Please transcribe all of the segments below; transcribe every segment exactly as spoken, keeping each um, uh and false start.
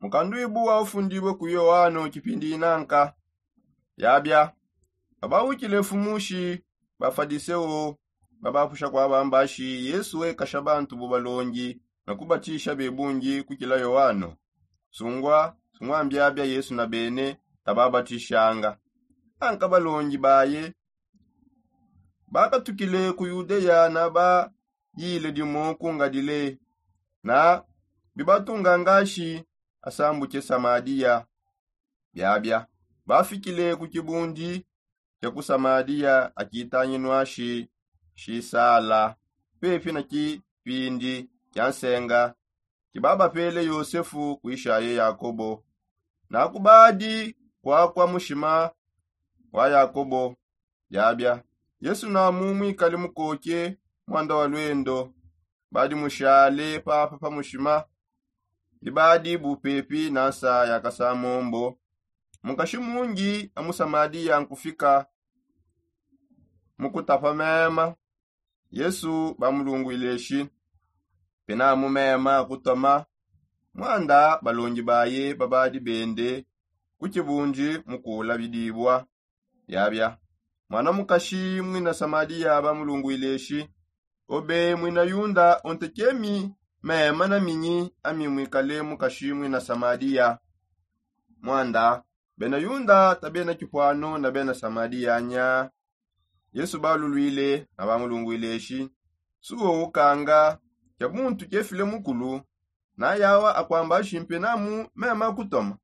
Mukanduibu wa ufundibue ku yoano kipindi inanka. Yabia, babawikile mfumu shi bafadiseo babapusha kwa bambashi yesu wekasha bantu bu balongi na kubatisha bebungi kukila yoano. Sungwa sungwa mbiabia yesu na bene tababatishanga. Anka balongi baye bakatukile ku yudeya na bayile dimo kungadile na bibatunga ngashi asambuke samadiya. Biabia bafikile ku kibundi kia ku samadiya akitanginwa shi shisala pepi na kipindi kia nsenga kibabapele yosefu kuishaye yakobo na kubadi kwakwa mushima wa yakobo. Biabia yesu namu mwikale mukoke mwanda wa lwendo badi mushale papa pa mushima. Bibadi bupepi na nsa ya kasamombo mukashi mungi amusamadiya nkufika mukutapa mema. Yesu bamulungwile shi pena mu mema kutoma mwanda balongi baye babadi bende ku kibundi mukula bidibua. Biabia mwana mukashi mwina samadiya bamulungwile shi obe mwina yunda ontekemi mema na minyi ami mwikale mukashi mwina samadiya. Mwanda bena yunda tabena kipuano na bena samadiya nya. Yesu balulwile na bamulungwile shi suwo ukanga kia muntu kefile mukulu na yawa akwamba shimpe namu mema kutoma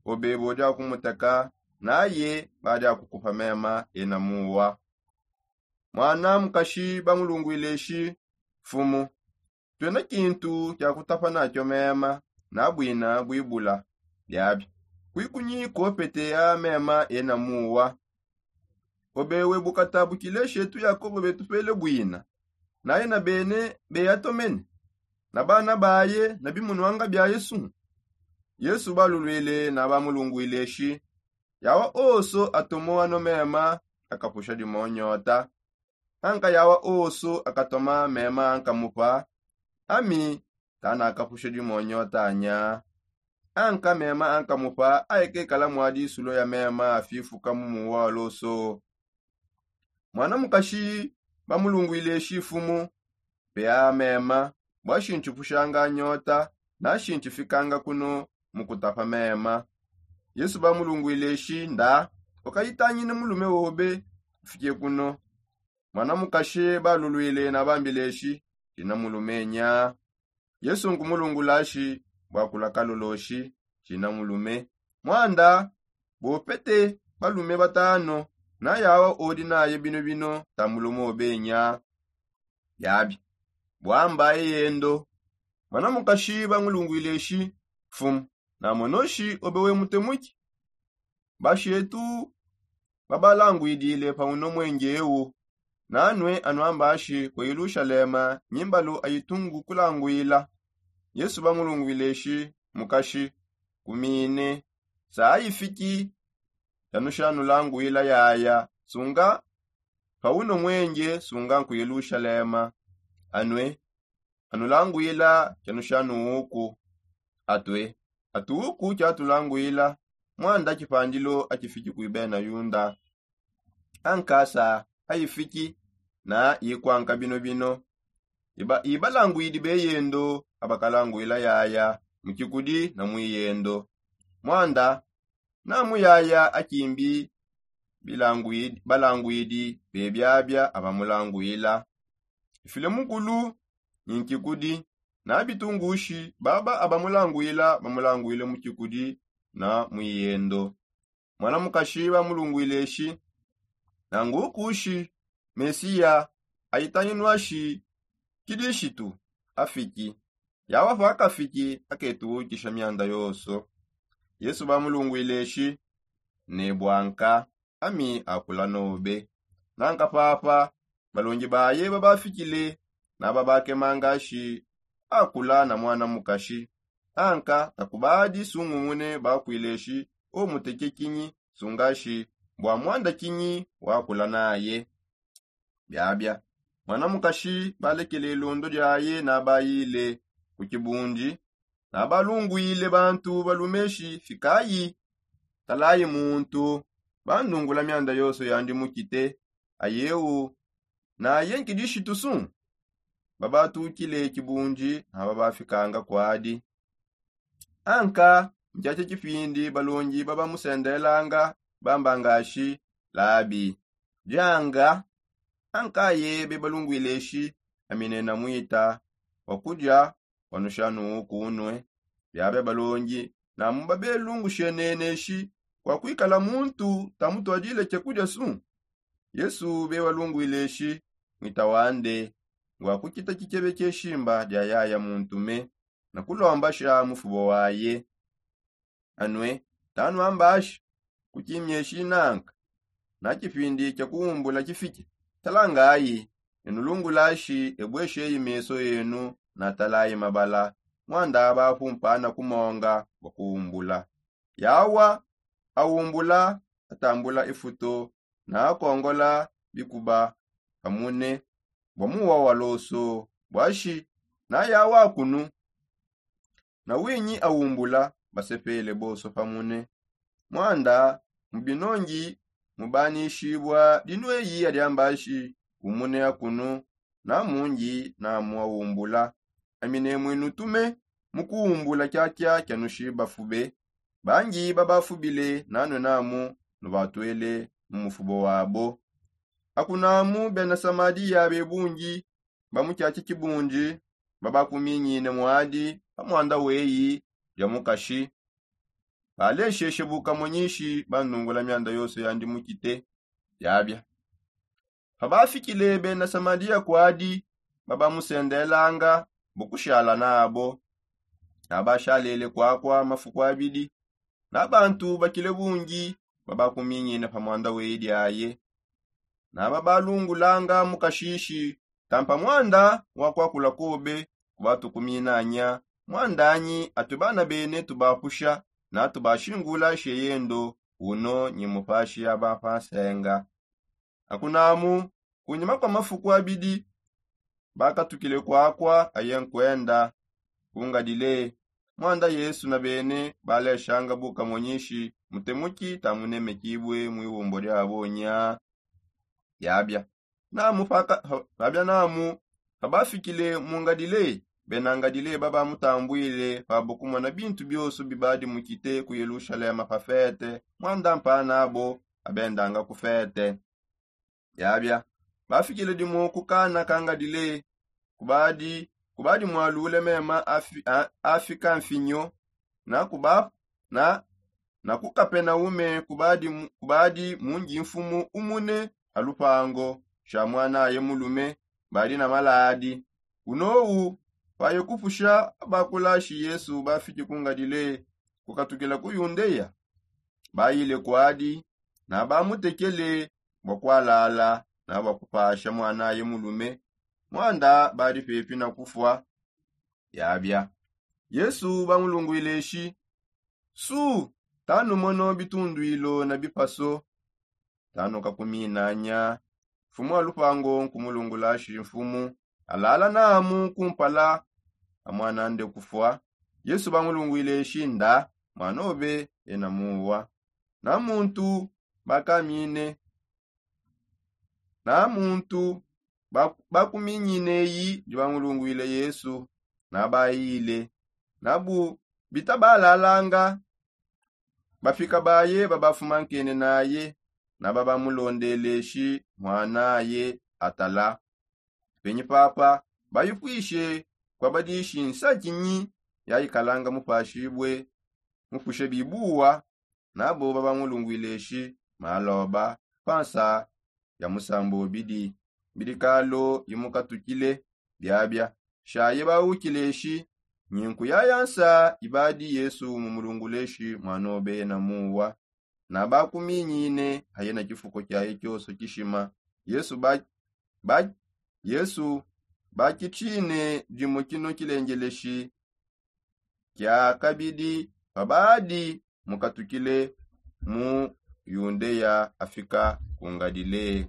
obe bodi akumuteka naye badi akukupa mema ena muwa. Mwana mukashi bamulungwile shi mfumu twena kintu kia kutapa nakio mema na bwina bwibula. Biabi kwikunyi kopete ya mema ena muwa. Obe we bukata bukile shetu yakobo betupele bwina naye na bene beyatomene na bana baye na bimunwanga bia yesu. Yesu balulwile na bamulungwile shi yawa oso atomo ano mema akapusha dimo nyota. Anka yawa oso akatoma mema ankamupa ami tana akapusha dimo nyota nya. Anka mema ankamupa aikekala mwa disulo ya mema afifuka mu muwa wa loso. Mwana mukashi bamulungwile shi mfumu pea mema bwa shintipushanga nyota na shintifikanga kuno mu kutapa mema. Yesu bamulungwile shi nda ukayitangine mulume wobe ufike kuno. Mwana mukashi balulwile na bambile shi shina mulume nya. Yesu nkumulungula shi bwakula kaloloshi shina mulume. Mwanda bopete balume batano na yawa odi naye bino bino ta mulume obenya. Biabi bwambaye yendo. Mwana mukashi bangulungwile shi mfumu namono shi obe we mutemuki. Bashetu babalangwidile pa uno mwenge ewu nanue anuambashi ku yelushalema nyimbalu ayitungu kulangwila. Yesu bangulungwile shi mukashi kumine sa ayifiki. Chanushanulangwila yaya sunga pa uno mwenge sunga nku yelushalema anue anulangwila chanushanuuku. Atue atuuku chatulangwila mwanda chipandilo achifiki kuibena yunda. Ankasa ayifiki na yikwanka bino bino ibalangwidi beyendo abakalangwila yaya mu chikudi na mwiyendo. Mwanda na muyaya akimbi balangwidi bebiabia abamulangwila ifile mukulu ni nchikudi na bitungushi baba abamulangwila bamulangwile mu chikudi na mwiyendo. Mwana mukashi bamulungwile shi nangukushi mesiya ayitanginwa shi kilishitu afiki. Yawa pakafiki aketuukisha mianda yonso. Yesu bamulungwile shi nebwanka ami akula nobe. Nanka papa balongi baye babafikile na babakemanga shi akula na mwana mukashi. Anka takubadi sungumune bakwile shi omuteke kinyi sunga shi bwa mwanda kinyi wakula naye. Biabia mwana mukashi balekele londo diaye na bayile ku kibundi. Nabalungwile bantu balumeshi fikayi, talayi muntu bandungula mianda yonso yandi mukite. Ayewu naye nkidishitu su? Babatukile kibundi na babafikanga kwadi. Anka nkiakia kipindi balongi babamusendelelanga bamba ngashi, labi, dianga. Anka ye bebalungwileshi amine na mwita wakudia wanushanu kunue. Biabia balongi namu babelungusheneneshi kwa kwikala muntu tamutwadile kiakudia su? Yesu bebalungwileshi mwita wande ngwa kukita kikebe kieshimba dia yaya muntume na kulombasha mufubo waye. Anue, tanuambashi kukimieshi nanka na kipindi kia kuumbula kifike. Talangayi, enulungulashi ebwesheyi meso enu na talayi mabala mwanda bapumpana kumonga bwa kuumbula. Yawa aumbula atambula ifuto na akongola bikuba pamune bwa muwa wa loso bwashi na yawa kunu. Na winyi aumbula basepele bonso pamune. Mwanda mu binongi mubanishibwa dinueyi adiambashi umune akunu na mungi namu aumbula. Amine mwinutume mu kuumbula kiakia kianushiba fube. Bangi babafubile nanue namu nubatwele mu mufubo wabo. Akunamu bena samadiya bebungi ba mu kiaki kibungi babakuminyine mwadi pa mwanda weyi dia mukashi. Balesheshe bukamonyishi bandungula mianda yonso yandi mukite. Yabia pabafikile bena samadiya kwadi babamusendelanga bukushala nabo. Nabashalele kwakwa mafuku abidi na bantu bakile bungi babakuminyine pa mwanda weyi diaye. Nababalungulanga mukashishi tampa mwanda wa kwakula kobe kubatukuminanya. Mwandanyi atue bana bene tubapusha na tubashingula sheyendo uno nyi mupashi aba pansenga. Akunamu kunyima kwa mafuku abidi bakatukile kwakwa aye nkwenda ku ngalile. Mwanda yesu na bene baleshanga bukamonyishi mutemuki tamunemekibue mu iwumbo diabo nya. Yabia namu paka pabia namu pabafikile mu ngalile bena ngalile babamutambwile pabo kumona bintu bioso bibadi mukite ku yelushalema pa fete mwanda mpanabo abendanga ku fete. Yabia bafikile dimu ku kana ka ngalile kubadi kubadi mwalule mema afika mfinyo na kuba na na ku kapenaume kubadi mungi mfumu umune a lupango sha mwanaye mulume badi na maladi. Unowu paye kupusha abakulashi yesu bafiki ku ngalile kukatukila ku yundeya. Bayile kwadi na bamutekele bwa kwalala na bwa kupasha mwanaye mulume mwanda badi pepi na kufwa. Yabia yesu bamulungwile shi su tanumono bitundwilo na bipaso. Tanukakuminanya mfumu wa lupango nkumulungula shi mfumu alala namu kumpala a mwanande kufwa. Yesu bamulungwile shi nda mwanobe ena muwa na muntu bakamine na muntu bakuminyineyi ndi bamulungwile yesu na bayile na bu bitabalalanga. Bafika baye babafumankene naye na babamulondeleshi mwanaye atala. Penyi papa bayipwishe kwabadishi nsakinyi yayikalanga mupashibue mupushe bibuwa. Nabo babamulungwileshi maloba pansa ya musambu bidi mbidikalo yimukatukile. Biabia shaye bawukileshi nyinku yaya nsa ibadi yesu mumulunguleshi mwanobe na muwa na bakuminyine aye na kifuko kiaye kioso kishima. Yesu ba ba yesu bakitshine dimu kino kilengeleshi kia kabidi pabadi mukatukile mu yundeya afika ku ngalile.